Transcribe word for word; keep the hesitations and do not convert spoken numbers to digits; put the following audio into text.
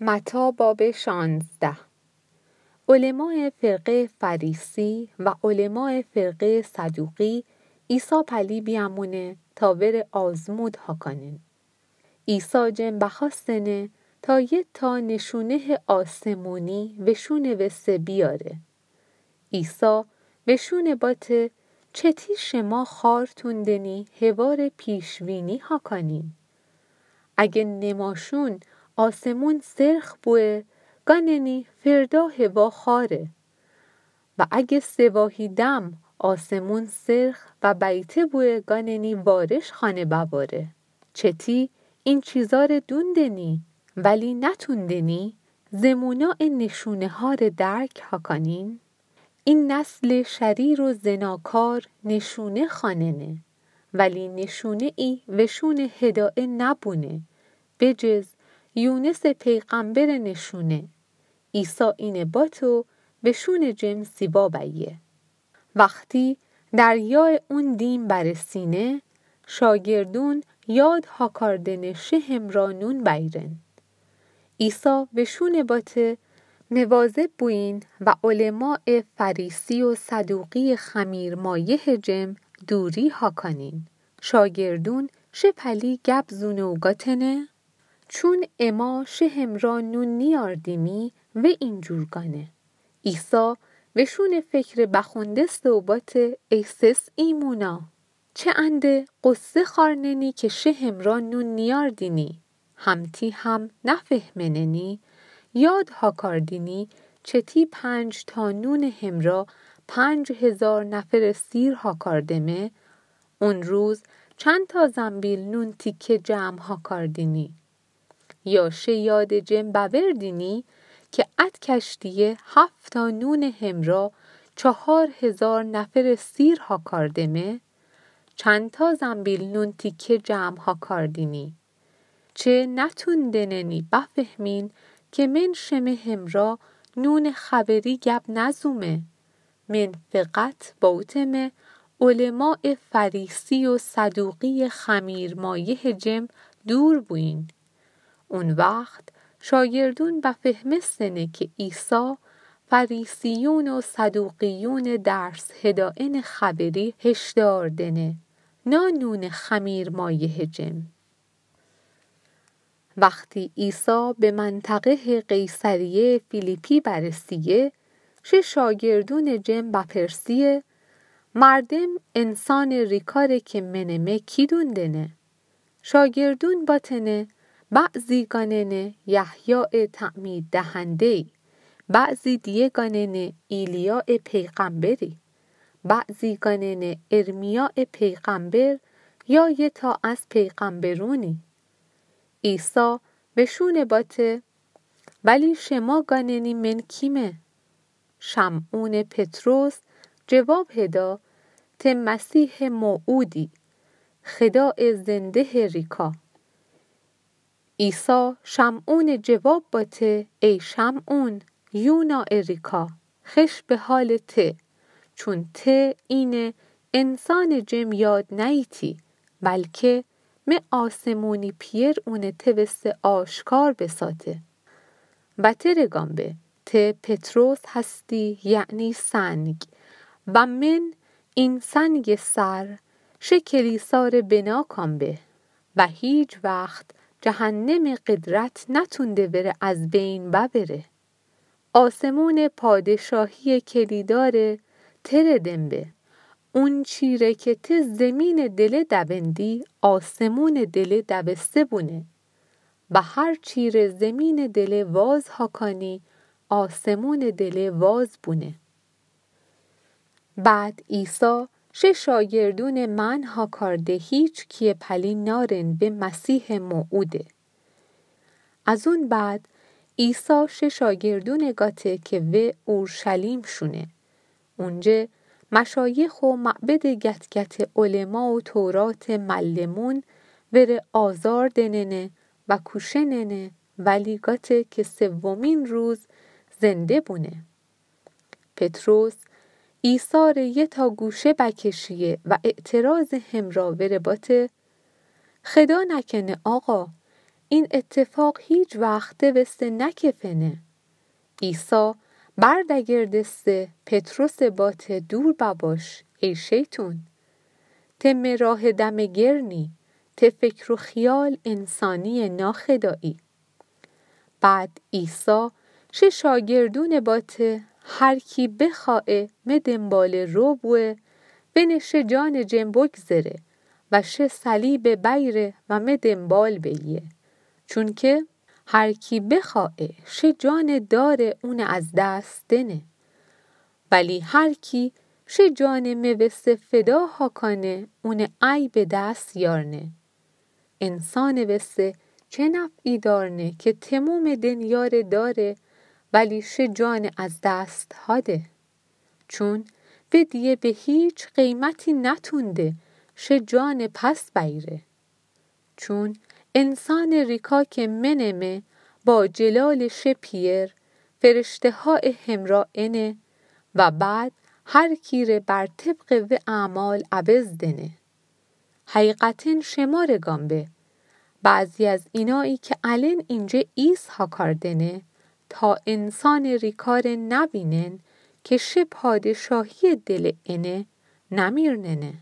متی باب شانزده. علمای فرقهٔ فریسی و علمای فرقهٔ صدوقی عیسی پلی بیامونه تا وره آزمود هاکانین. عیسی جم بخواستنه تا یه تا نشونهٔ آسمونی وشونه وسه بیاره. عیسی وشونه باته: چتی شما خارتون دنی هوار پیش‌وینی هاکانین؟ اگه نماشون آسمون سرخ بوه، گاننی فردا هوا خاره. و اگه سه واهی دم آسمون سرخ و بیته بوه، گاننی وارش خانه بواره. چتی این چیزا ره دون دنی، ولی نتون دنی زمونا ا نشونه‌ها ره درک هاکانین؟ این نسل شریر و زناکار نشونه خاننه، ولی نشونه‌ای وشونه هدایه نبونه، بجز یونس پیغمبر نشونه. عیسی اینه باتو وشون جم سیوا بیه. وختی دریای اون دیم برسینه، شاگردون یاد هاکاردنه شه همرا نون بیرن. عیسی وشون باته مواظب بوین و علمای فریسی و صدوقی خمیرمایه جم دوری هاکانین. شاگردون شه پلی گب زونه و گاتنه چون اما شه همرا نون نیاردیمی و اینجور گانه. عیسی وشون فکر بخوندسته و باته ای سس ایمونا، چه انده غصه خارننی که شه همرا نون نیاردینی؟ همتی هم نفهمننی؟ یاد هاکاردینی چتی پنج تا نون همرا پنج هزار نفر سیر هاکاردمه؟ اون روز چند تا زنبیل نون تیکه جمع هاکاردینی؟ یا شه یاد جم بوردینی که اد کشتیه هفت تا نون همرا چهار هزار نفر سیر هاکاردمه؟ چند تا زنبیل نون تیکه جمع هاکاردینی؟ چه نتون دننی بفهمین که من شمه همرا نون خبری گب نزومه؟ من فقط باوتمه علمای فریسی و صدوقی خمیرمایه جم دور بوین. اون وخت شاگردون بفهمستنه که عیسی فریسیون و صدوقیون درس هدایه خبری هشدار دنه، نه نون خمیرمایه جم. وختی عیسی به منطقهٔ قیصریهٔ فیلیپی برسیه، شه شاگردون جم بپرسیه مردم انسان ریکا ره که منمه کی دون دنه؟ شاگردون باتنه بعضی گاننه یحیای تعمید دهنده‌ای، بعضی دیه گاننه ایلیای پیغمبری، بعضی گاننه ارمیای پیغمبر یا یه تا از پیغمبرونی. عیسی وشون باته ولی شما گاننی من کیمه؟ شمعون پطرس جواب هدا ته مسیح موعودی، خدای زنده ریکا. عیسی شمعون جواب باته ای شمعون، یونا ریکا، خش به حال ته، چون ته اینه انسان جم یاد نیتی، بلکه مه آسمونی پیر اونه ته وسه آشکار بساته. و ته ره گام به، ته پطرس هستی، یعنی سنگ، و من این سنگ سر شه کلیسا ره بنا کام به، و هیچ وخت جهنم قدرت نتونده وره از بین ببره. آسمون پادشاهی کلیدار ته ره دم به. اون چی ره که ته زمین دله دوندی، آسمون دله دوسته بونه. و هر چی ره زمین دله واز هاکانی، آسمون دله واز بونه. بعد عیسی شه شاگردون منع هاکارده هیچ کیه پلی نارن به مسیح موعوده. از اون بعد عیسی شه شاگردون گاته که وه اورشلیم شونه. اونجه مشایخ و معبد گتگت علما و تورات معلمون وره آزار دننه و کوشننه، ولی گاته که سومین روز زنده بونه. پطرس عیسی ره یه تا گوشه بکشیه و اعتراض همرا وره باته، خدا نکنه آقا، این اتفاق هیچ وخته وسه نکفنه. عیسی بردگردسته پطرسه باته دور بباش ای شیطون. ته مه راه دمه گرنی، ته فکر و خیال انسانی ناخدایی. بعد عیسی شه شاگردونه باته هر کی بخوایه مه دنباله رو بوه، ونه شه جانه جن بگذره و شه صلیبه بیره و مه دنبال بیه. چونکه هر کی بخوایه شه جانه داره اونه از دست دنه. ولی هر کی شه جانه مه وسه فدا هاکانه اونه ای به دست یارنه. انسانه وسه چه نفعی دارنه که تموم دنیاره داره ولی شه جانه از دست هاده؟ چون ودیه به هیچ قیمتی نتونده شه جانه پس بیره. چون انسانه ریکا که منه مه با جلال شه پیر، فرشتهایه همرا انه و بعد هر کیره بر طبق وه اعمال عوض دنه. حقیقتا شماره گام به، بعضی از اینایی که الن اینجه ایس هاکار دنه، تا انسانه ریکاره نوینن که شه پادشاهی دل انه نمیرننه.